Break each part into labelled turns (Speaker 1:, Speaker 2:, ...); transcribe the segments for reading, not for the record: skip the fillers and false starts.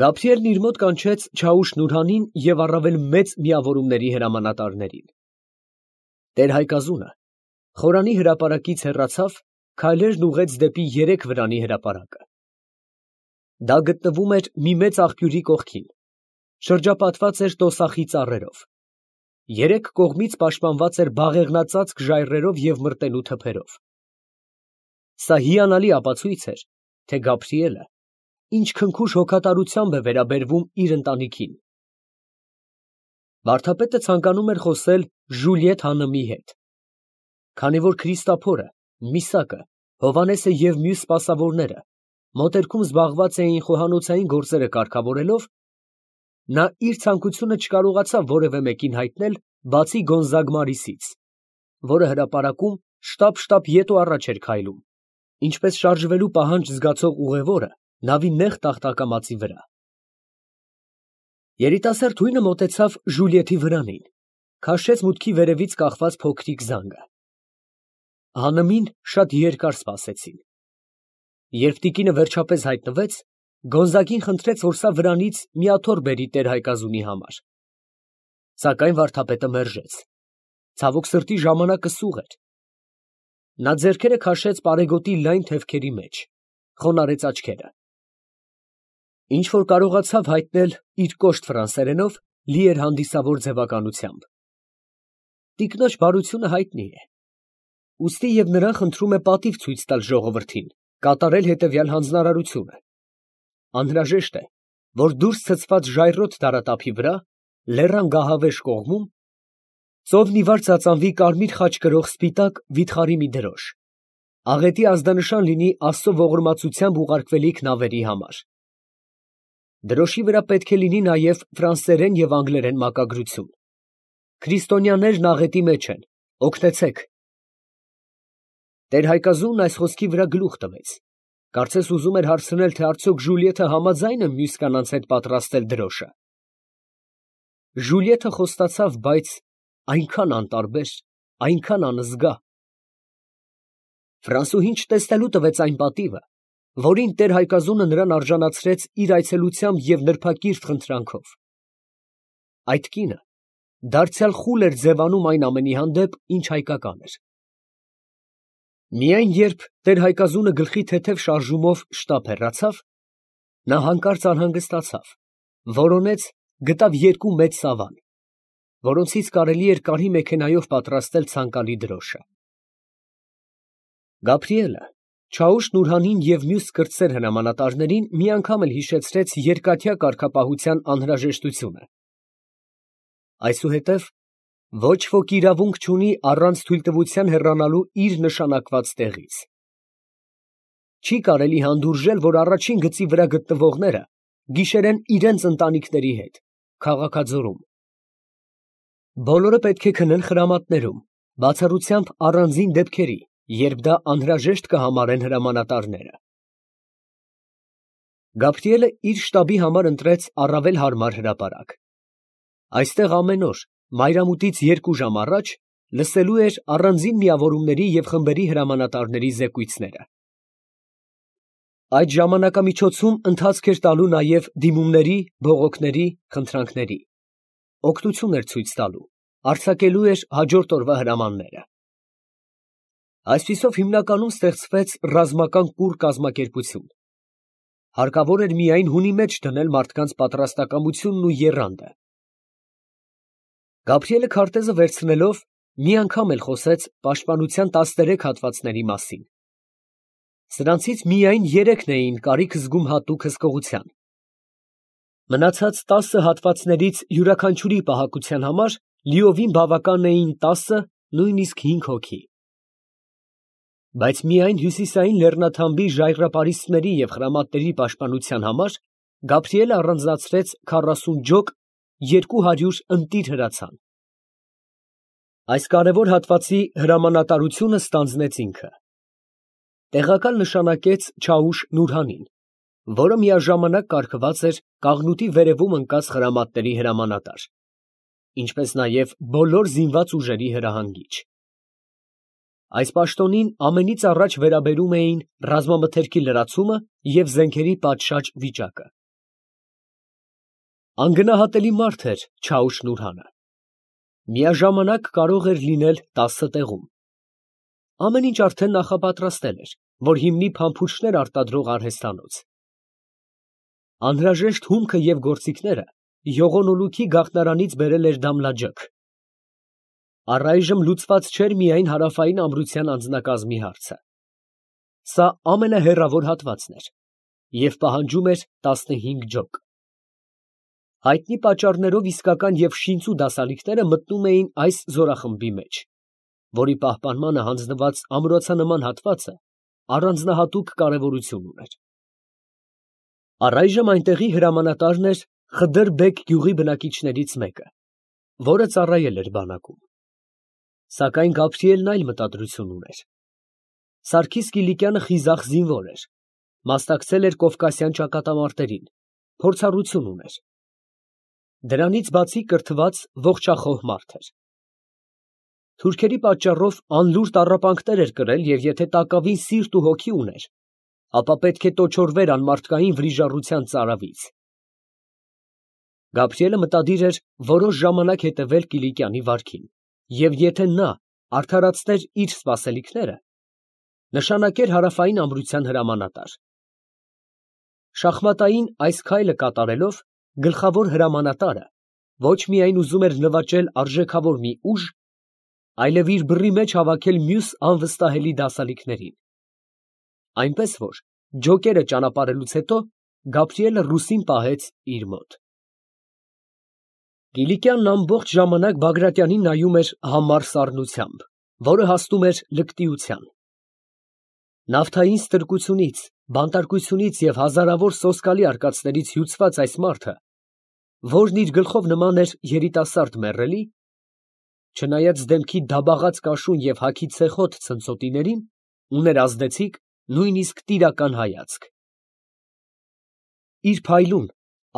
Speaker 1: Գաբրիելն իր մոտ կանչեց Չաուշ Նուրհանին և առավել մեծ միավորումների հրամանատարներին։ Տեր-Հայկազունը խորանի հրապարակից հեռացավ, քայլերն ուղղեց դեպի երեք վրանի հրապարակը։ Դա գտնվում էր մի մեծ աղբյուրի կողքին, շրջապատված էր տոսախի ծառերով, երեք կողմից պաշտպանված էր բաղեղնածածկ ժայռերով և մրտելու թփերով։ Սա հիանալի ապացույց էր, թե Գաբրիելը ինչ քնքուշ հոգատարությամբ է վերաբերվում իր ընտանիքին։ Վարդապետը ցանկանում էր խոսել Ժուլիետ Հաննումի հետ, քանի որ Քրիստափորը, Միսակը, Հովհաննեսը և մյուս սպասավորները մոտերքում զբաղված էին խոհանոցային գործերը կարգավորելով, նա իր ցանկությունը չկարողացավ որևէ մեկին հայտնել, բացի Գոնզագ Մարիսից, որը հրապարակում շտապ ետ ու առաջ էր քայլում, ինչպես շարժվելու պահանջ զգացող ուղևորը նավի նեղ տախտակամածի վրա։ Երիտասարդ հույնը մոտեցավ Ժուլիետի վրանին, քաշեց մուտքի վերևից կախված փոքրիկ զանգը։ Հաննումին շատ երկար սպասեցին։ Երբ տիկինը վերջապես հայտնվեց, Գոնզագին խնդրեց, որ սա վրանից մի աթոռ բերի տեր֊Հայկազունի համար։ Սակայն վարդապետը մերժեց։ Ցավոք սրտի, ժամանակը սուղ էր։ Նա ձեռքերը քաշեց պարեգոտի լայն թևքերի մեջ, խոնարհեց աչքերը։ Ինչ որ կարողացավ հայտնել իր կոշտ ֆրանսերենով, լի էր հանդիսավոր ձևականությամբ։ Տիկնոջ բարությունը հայտնի է, ուստի և նրան խնդրում է պատիվ ցույց տալ ժողովրդին, կատարել հետևյալ հանձնարարությունը. անհրաժեշտ է, որ դուրս ցցված ժայռոտ դարատափի վրա, լեռան գահավեժ կողմում, ծովն ի վար ծածանվի կարմիր խաչ կրող սպիտակ վիթխարի մի դրոշ, աղետի ազդանշան լինի Աստծո ողորմածությամբ ուղարկվելիք նավերի համար։ Դրոշի վրա պետք է լինի նաև ֆրանսերեն և անգլերեն մակագրություն։ Քրիստոնյաներն աղետի մեջ են, օգնեցեք։ Տեր-Հայկազունն այս խոսքի վրա գլուխ տվեց, կարծես ուզում էր հարցնել, թե արդյոք Ժուլիետը համաձայն է մյուս կանանց հետ պատրաստել դրոշը։ Ժուլիետը խոստացավ, բայց այնքան անտարբեր, այնքան անզգա։ Ֆրանսուհին չտեսնելու տվեց այն պատիվը, որին Տեր-Հայկազունը նրան արժանացրեց իր այցելությամբ և նրբակիրթ խնդրանքով։ Այդ կինը դարձյալ խուլ էր ձևանում այն ամենի հանդեպ, ինչ հայկական էր։ Միայն երբ Տեր-Հայկազունը գլխի թեթև շարժումով շտապ հեռացավ, նա հանկարծ անհանգստացավ, որոնեց, գտավ երկու մեծ սավան, որոնցից կարելի էր կարի մեքենայով պատրաստել ցանկալի դրոշը։ Գաբրիելը Չաուշ Նուրհանին և մյուս կրտսեր հրամանատարներին մի անգամ էլ հիշեցրեց երկաթյա կարգապահության անհրաժեշտությունը։ Այսուհետև ոչ ոք իրավունք չունի առանց թույլտվության հեռանալու իր նշանակված տեղից։ Չի կարելի հանդուրժել, որ առաջին գծի վրա գտնվողները գիշերեն իրենց ընտանիքների հետ, քաղաքաձորում։ Բոլորը պետք է քնեն խրամատներում, բացառությամբ առանձին դեպքերի, երբ դա անհրաժեշտ կհամարեն հրամանատարները։ Գաբրիելը իր շտաբի համար ընտրեց առավել հարմար հրապարակ։ Այստեղ ամեն օր, մայրամուտից 2 ժամ առաջ, լսելու էր առանձին միավորումների և խմբերի հրամանատարների զեկույցները։ Այդ ժամանակամիջոցում ընթացք էր տալու նաև դիմումների, բողոքների, խնդրանքների, օգնություն էր ցույց տալու, արձակելու էր հաջորդ օրվա հրամանները։ Այսպիսով հիմնականում ստեղծվեց ռազմական կուռ կազմակերպություն։ Հարկավոր էր միայն հունի մեջ դնել մարդկանց պատրաստակամությունն ու եռանդը։ Գաբրիելը քարտեզը վերցնելով, մի անգամ էլ խոսեց պաշտպանության 13 հատվածների մասին։ Սրանցից միայն 3-ն էին կարիք զգում հատուկ հսկողության։ Մնացած 10 հատվածներից յուրաքանչյուրի պահակության համար լիովին բավական էին 10, նույնիսկ 5 հոգի։ Բայց միայն հյուսիսային լեռնաթամբի ժայռապարիսպների և խրամատների պաշտպանության համար Գաբրիելը առանձնացրեց 40 ջոկ, 200 ընտիր հրացան։ Այս կարևոր հատվածի հրամանատարությունը ստանձնեց ինքը։ Տեղակալ նշանակեց Չաուշ Նուրհանին, որը միաժամանակ կարգված էր Կաղնուտի վերևում ընկած խրամատների հրամանատար, ինչպես նաև բոլոր զինված ուժերի հրահանգիչ։ Այս պաշտոնին ամենից առաջ վերաբերում էին ռազմամթերքի լրացումը և զենքերի պատշաճ վիճակը։ Անգնահատելի մարդ էր Չաուշ֊Նուրհանը։ Միաժամանակ կարող էր լինել 10 տեղում։ Ամեն ինչ արդեն նախապատրաստել էր, որ հիմնի փամփուշտներ արտադրող արհեստանոց։ Անհրաժեշտ հումքը և գործիքները յողոնոլուքի գաղտնարանից բերել էր Դամլաջաք։ Առայժմ լուծված չէր միայն հարավային ամրության անձնակազմի հարցը։ Սա ամենահեռավոր հատվածն էր և պահանջում էր 15 ջոկ։ Հայտնի պատճառներով իսկական և շինծու դասալիքները մտնում էին այս զորախմբի մեջ, որի պահպանմանը հանձնված ամրոցանման հատվածը առանձնահատուկ կարևորություն ուներ։ Առայժմ այնտեղի հրամանատարն էր Խդր֊բեգ գյուղի բնակիչներից մեկը, որը ծառայել էր բանակում։ Սակայն Գաբրիելն այլ մտադրություն ուներ։ Սարգիս Կիլիկյանը խիզախ զինվոր էր, մասնակցել էր Կովկասյան ճակատամարտերին, փորձառություն ուներ։ Դրանից բացի կրթված ողջախոհ մարդ էր։ Թուրքերի պատճառով անլուր տառապանքներ էր կրել և եթե տակավին սիրտ ու հոգի ուներ, ապա պետք է տոչորվեր անմարդկային վրիժառության ծարավից։ Գաբրիելը մտադիր էր որոշ ժամանակ հետևել Կիլիկյանի վարքին և եթե նա արդարացներ իր սպասելիքները, նշանակեր հարավային ամրության հրամանատար։ Շախմատային այս քայլը կատարելով գլխավոր հրամանատարը ոչ միայն ուզում էր նվաճել արժեքավոր մի ուժ, այլև իր բռի մեջ հավաքել մյուս անվստահելի դասալիքներին։ Այնպես որ ջոկերը ճանապարհելուց հետո Գաբրիելը ռուսին պահեց իր մոտ։ Կիլիկյանն ամբողջ ժամանակ Բագրատյանին նայում էր համառ սառնությամբ, որը հասնում էր լկտիության։ Նավթային ստրկությունից, բանտարկությունից և հազարավոր սոսկալի արկածներից հյուծված այս մարդը, որն իր գլխով նման էր երիտասարդ մեռելի, չնայած դեմքի դաբաղած կաշուն և հագի ցեխոտ ցնցոտիներին, ուներ ազդեցիկ, նույնիսկ տիրական հայացք։ Իր փայլուն,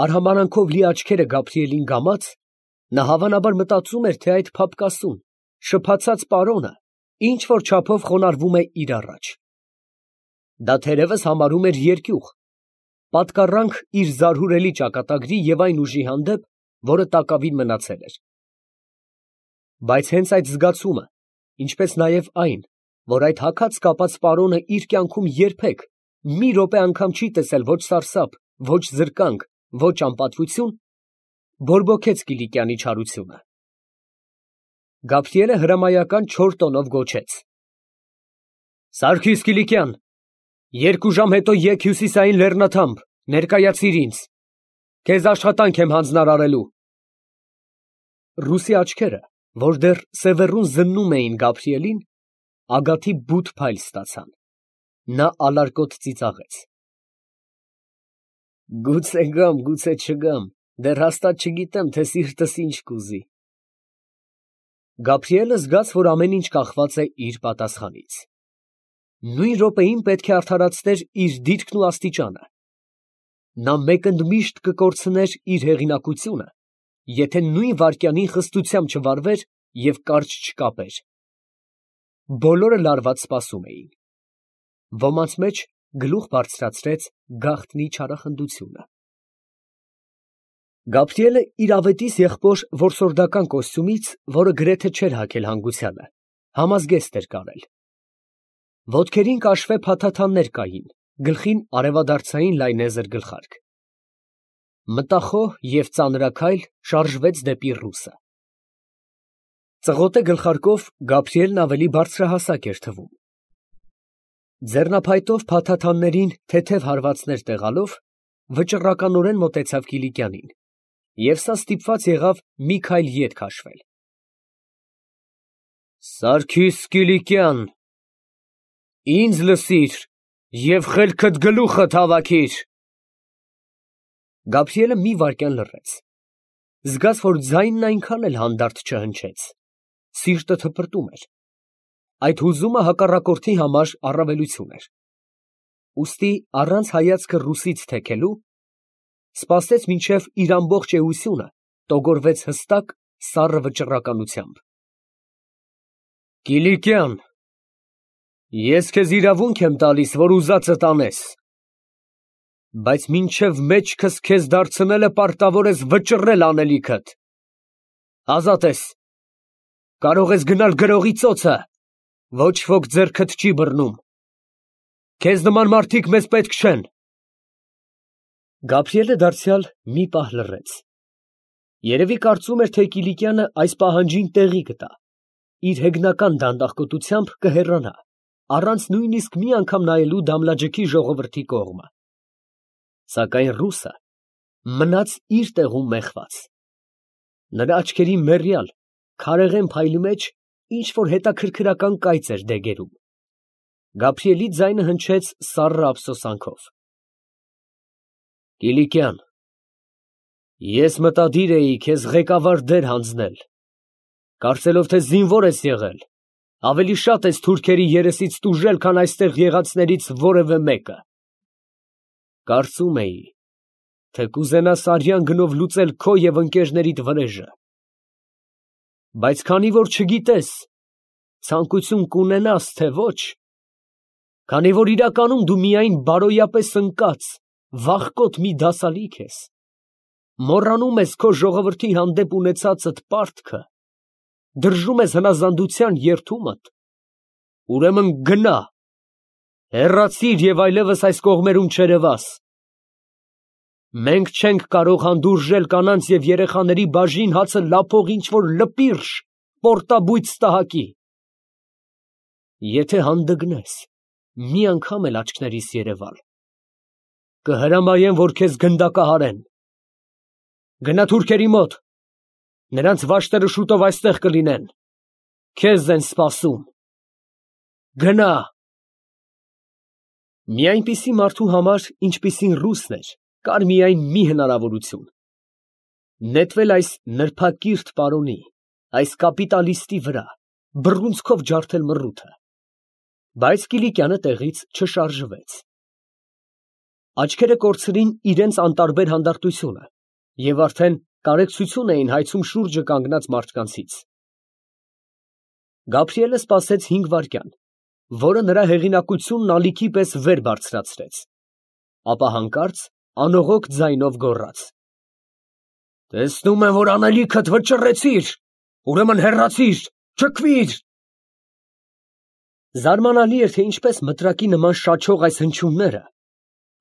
Speaker 1: արհամարհանքով լի աչքերը Գաբրիելին գամած, նա հավանաբար մտածում էր, թե այդ փափկասուն, շփացած պարոնը ինչ֊որ չափով խոնարհվում է իր առաջ։ Դա թերևս համարում էր երկյուղ, պատկառանք իր զարհուրելի ճակատագրի և այն ուժի հանդեպ, որը տակավին մնացել էր։ Բայց հենց այդ զգացումը, ինչպես նաև այն, որ այդ հագած կապած պարոնը իր կյանքում երբեք, մի րոպե անգամ չի տեսել ոչ սարսափ, ոչ զրկանք, ոչ անպատվություն, բորբոքեց Կիլիկյանի չարությունը։ Գաբրիելը հրամայական չոր տոնով գոչեց. «Սարգիս Կիլիկյան, 2 ժամ հետո եկ հյուսիսային լեռնաթամբ, ներկայացիր ինձ, քեզ աշխատանք եմ հանձնարարելու»։ Ռուսի աչքերը, որ դեռ սևեռուն զննում էին Գաբրիելին, ագաթի բութ փայլ ստացան։ Նա ալարկոտ ծիծաղեց. «Գուցե գամ, գուցե չգամ, դեռ հաստատ չգիտեմ, թե սիրտս ինչ կուզի»։ Գաբրիելը զգաց, որ ամեն ինչ կախված է իր պատասխանից։ Նույն րոպեին պետք է արդարացներ իր դիրքն ու աստիճանը։ Նա մեկընդմիշտ կկորցներ իր հեղինակությունը, եթե նույն վայրկյանին խստությամբ չվարվեր և կարճ չկապեր։ Բոլորը լարված սպասում էին։ Ոմանց մեջ գլուխ բարձրացրեց գաղտնի չարախնդությունը։ Գաբրիելը իր ավետիս եղբոր որսորդական կոստյումից, որը գրեթե չէր հագել հանգուցյալը, համազգեստ էր կարել։ Ոտքերին կաշվե փաթաթաններ կային, գլխին արևադարձային լայնեզր գլխարկ։ Մտախոհ և ծանրաքայլ շարժվեց դեպի ռուսը։ Ծղոտե գլխարկով Գաբրիելն ավելի բարձրահասակ էր թվում։ Ձեռնափայտով փաթաթաններին թեթև հարվածներ տեղալով, վճռականորեն մոտեցավ Կիլիկյանին, և սա ստիպված եղավ մի քայլ ետ քաշվել։ «Սարգիս Կիլիկյան, ինձ լսիր և խելքդ գլուխդ հավաքիր»։ Գաբրիելը մի վայրկյան լռեց, զգաց, որ ձայնն այնքան էլ հանդարտ չհնչեց, սիրտը թպրտում էր։ Այդ հուզումը հակառակորդի համար առավելություն էր։ Ուստի առանց հայացքը ռուսից թեքելու, սպասեց մինչև իր ամբողջ էությունը տոգորվեց հստակ, սառը վճռականությամբ։ «Կիլիկյան, ես քեզ իրավունք եմ տալիս, որ ուզածդ անես։ բայց մինչև մեջքս քեզ դարձնելը պարտավոր ես վճռել անելիքդ։ Ազատ ես, կարող ես գնալ գրողի ծոցը, ոչ ոք ձեռքդ չի բռնում։ Քեզ նման մարդիկ մեզ պետք չեն։ Գաբրիելը դարձյալ մի պահ լռեց։ Երևի կարծում էր, թե Կիլիկյանը այս պահանջին տեղի կտա, իր հեգնական դանդաղկոտությամբ կհեռանա, առանց նույնիսկ մի անգամ նայելու Դամլաջեքի ժողովրդի կողմը։ Սակայն ռուսը մնաց իր տեղում մեխված։ Նրա աչքերի մեռյալ, քարեղեն փայլի մեջ ինչ-որ հետաքրքրական կայծ էր դեգերում։ Գաբրիելի ձայնը հնչեց սառը ափսոսանքով. Կիլիկյան, ես մտադիր էի քեզ ղեկավար դեր հանձնել, կարծելով, թե զինվոր ես եղել, ավելի շատ ես թուրքերի երեսից տուժել, քան այստեղ եղածներից որևէ մեկը։ Կարծում էի, թե կուզենաս արյան գնով լուծել քո և ընկերներիդ վրեժը։ Բայց քանի որ չգիտես, ցանկություն կունենաս, թե ոչ, քանի որ իրականում դու միայն բարոյապես ընկած, վախկոտ մի դասալիկ ես, մոռանում ես քո ժողովրդի հանդեպ ունեցածդ պարտքը, դրժում ես հնազանդության երդումդ, ուրեմն գնա, հեռացիր և այլևս այս կողմերում չերևաս։ Մենք չենք կարող հանդուրժել կանանց և երեխաների բաժին հացը լափող ինչ-որ լպիրշ, պորտաբույծ տհակի։ Եթե հանդգնես, մի անգամ էլ աչքներիս երևալ, կհրամայեմ, որ քեզ գնդակահարեն։ Գնա թուրքերի մոտ, նրանց վաշտերը շուտով այստեղ կլինեն, քեզ են սպասում։ Գնա։ Մի այնպիսի մարդու համար, ինչպիսին ռուսն էր, կար միայն մի հնարավորություն. նետվել այս նրբակիրթ պարոնի, այս կապիտալիստի վրա, բռունցքով ջարդել մռութը։ Բայց Կիլիկյանը տեղից չշարժվեց։ Աչքերը կորցրին իրենց անտարբեր հանդարտությունը և արդեն կարեկցություն էին հայցում շուրջը կանգնած մարդկանցից։ Գաբրիելը սպասեց 5 վայրկյան, որը նրա հեղինակությունն ալիքի պես վեր բարձրացրեց, ապա հանկարծ անողոք ձայնով գոռաց. Տեսնում եմ, որ անելիքդ վճռեցիր, ուրեմն հեռացիր, չքվիր։ Զարմանալի էր, թե ինչպես մտրակի նման շաչող այս հնչյունները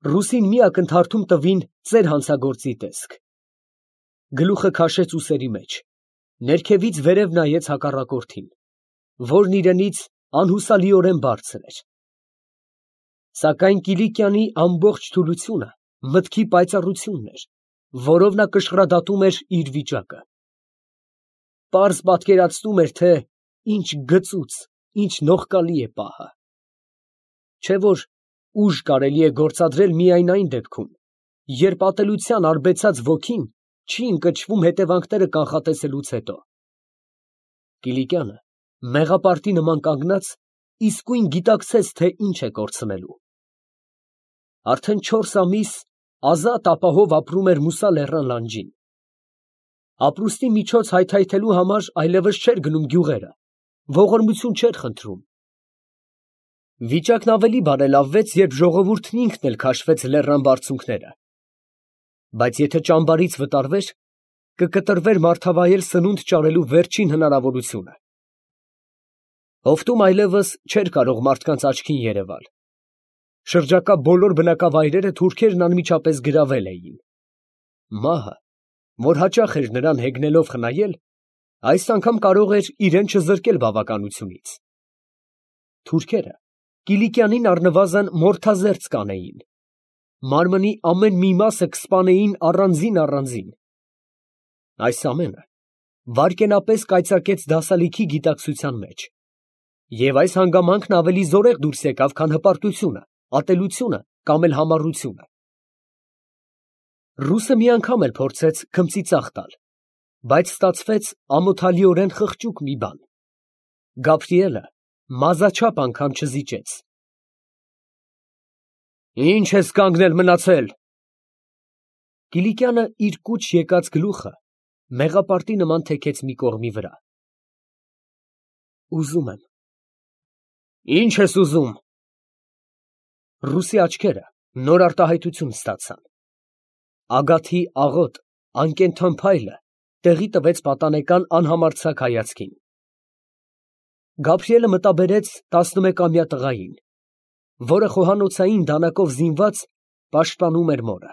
Speaker 1: ռուսին մի ակնթարթում տվին ծեր հանցագործի տեսք։ Գլուխը քաշեց ուսերի մեջ, ներքևից վերև նայեց հակառակորդին, որն իրենից անհուսալիորեն բարձր էր։ Սակայն Կիլիկյանի ամբողջ թուլությունը մտքի պայծառությունն էր, որով նա կշռադատում էր իր վիճակը։ Պարզ պատկերացնում էր, թե ինչ գծուծ, ինչ նողկալի է պահը։ Չէ՞ որ ուժ կարելի է գործադրել միայն այն դեպքում, երբ ատելության արբեցած ոգին չի ընկճվում հետևանքները կանխատեսելուց հետո։ Կիլիկյանը, մեղապարտի նման կանգնած, իսկույն գիտակցեց, թե ինչ է կորցնելու։ Արդեն 4 ամիս ազատ ապահով ապրում էր Մուսա լեռան լանջին։ Ապրուստի միջոց հայթայթելու համար այլևս չէր գնում գյուղերը, ողորմություն չէր խնդրում։ Վիճակն ավելի բարելավվեց, երբ ժողովուրդն ինքն էլ քաշվեց լեռան բարձունքները։ Բայց եթե ճամբարից վտարվեր, կկտրվեր մարդավայել սնունդ ճարելու վերջին հնարավորությունը։ Հովտում այլևս չէր կարող մարդկանց աչքին երևալ։ Շրջակա բոլոր բնակավայրերը թուրքերն անմիջապես գրավել էին։ Մահը, որ հաճախ էր նրան հեգնելով խնայել, այս անգամ կարող էր իրեն չզրկել բավականությունից։ Թուրքերը Կիլիկյանին առնվազն մորթազերծ կանեին, մարմնի ամեն մի մասը կսպանեին առանձին։ Այս ամենը վայրկենապես կայծակեց դասալիքի գիտակցության մեջ, և այս հանգամանքն ավելի զորեղ դուրս եկավ, քան հպարտությունը, ատելությունը կամ էլ համառությունը։ Ռուսը մի անգամ էլ փորձեց քմծիծաղ տալ, բայց ստացվեց ամոթալիորեն խղճուկ մի բան։ Գաբրիելը մազաչափ անգամ չզիջեց։ Ի՞նչ ես կանգնել մնացել։ Կիլիկյանը իր կուչ եկած գլուխը մեղապարտի նման թեքեց մի կողմի վրա։ Ուզում եմ։ Ի՞նչ ես ուզում։ Ռուսի աչքերը նոր արտահայտություն ստացան։ Ագաթի աղոտ, անկենդան փայլը տեղի տվեց պատանեկան անհամարձակ հայացքին։ Գաբրիելը մտաբերեց 11-ամյա տղային, որը խոհանոցային դանակով զինված պաշտպանում էր մորը։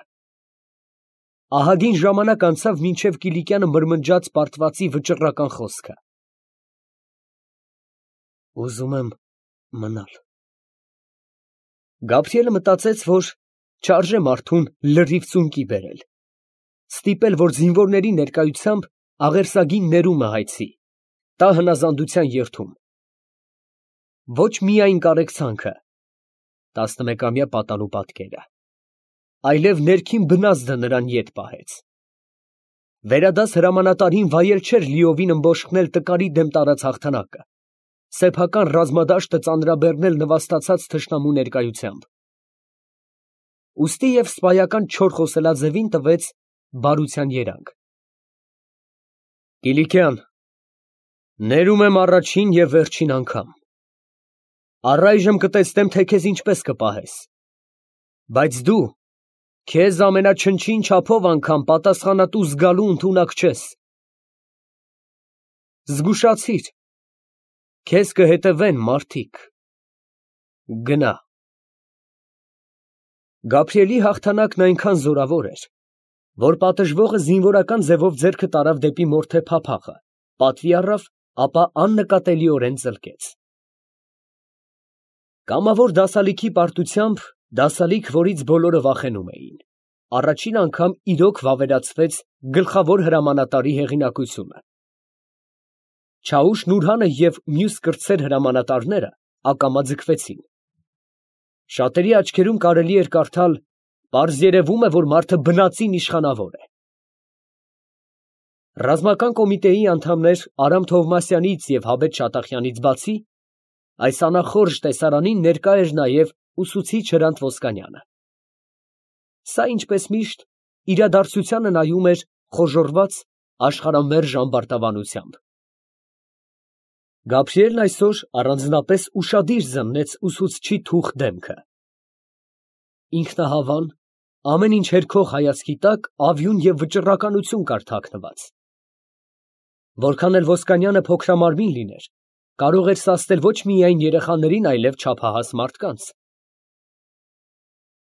Speaker 1: Ահագին ժամանակ անցավ, մինչև Կիլիկյանը մրմնջաց պարտվածի վճռական խոսքը. «Ուզում եմ մնալ»։ Գաբրիելը մտածեց, որ չարժե մարդուն լրիվ ծունկի բերել, ստիպել, որ զինվորների ներկայությամբ աղերսագին ներումը հայցի, տա հնազանդության երդում։ Ոչ միայն կարեկցանքը, 11-ամյա պատանու պատկերը, այլև ներքին բնազդը նրան ետ պահեց։ Վերադաս հրամանատարին վայել չէր լիովին ըմբոշխնել տկարի դեմ տարած հաղթանակը, սեփական ռազմադաշտը ծանրաբեռնել նվաստացած թշնամու ներկայությամբ։ Ուստի և սպայական չոր խոսելաձևին տվեց բարության երանգ. «Կիլիկյան, ներում եմ առաջին և վերջին անգամ։ Առայժմ կտեսնեմ, թե քեզ ինչպես կպահես, բայց դու քեզ ամենաչնչին չափով անգամ պատասխանատու զգալու ընդունակ չես։ Զգուշացիր, քեզ կհետևեն մարդիկ։ Գնա»։ Գաբրիելի հաղթանակն այնքան զորավոր էր, որ պատժվողը զինվորական ձևով ձեռքը տարավ դեպի մորթե փափախը, պատվի առավ, ապա աննկատելիորեն ծլկեց։ Կամավոր դասալիքի պարտությամբ, դասալիք, որից բոլորը վախենում էին, առաջին անգամ իրոք վավերացվեց գլխավոր հրամանատարի հեղինակությունը։ Չաուշ Նուրհանը և մյուս կրտսեր հրամանատարները ակամա ձգվեցին։ Շատերի աչքերում կարելի էր կարդալ. «Պարզ երևում է, որ մարդը բնածին իշխանավոր է»։ Ռազմական կոմիտեի անդամներ Արամ Թովմասյանից և Հաբետ Շատախյանից բացի, այս անախորժ տեսարանին ներկա էր նաև ուսուցիչ Հրանտ Ոսկանյանը։ Սա, ինչպես միշտ, իրադարձությանը նայում էր խոժոռված, աշխարհամերժ ամբարտավանությամբ։ Գաբրիելն այսօր առանձնապես ուշադիր զննեց ուսուցչի թուխ դեմքը։ Ինքնահավան, ամեն ինչ հերքող հայացքի տակ ավյուն և վճռականություն կար թաքնված։ Որքան էլ Ոսկանյանը փոքրամարմին լիներ, կարող էր սազդել ոչ միայն երեխաներին, այլև չափահաս մարդկանց։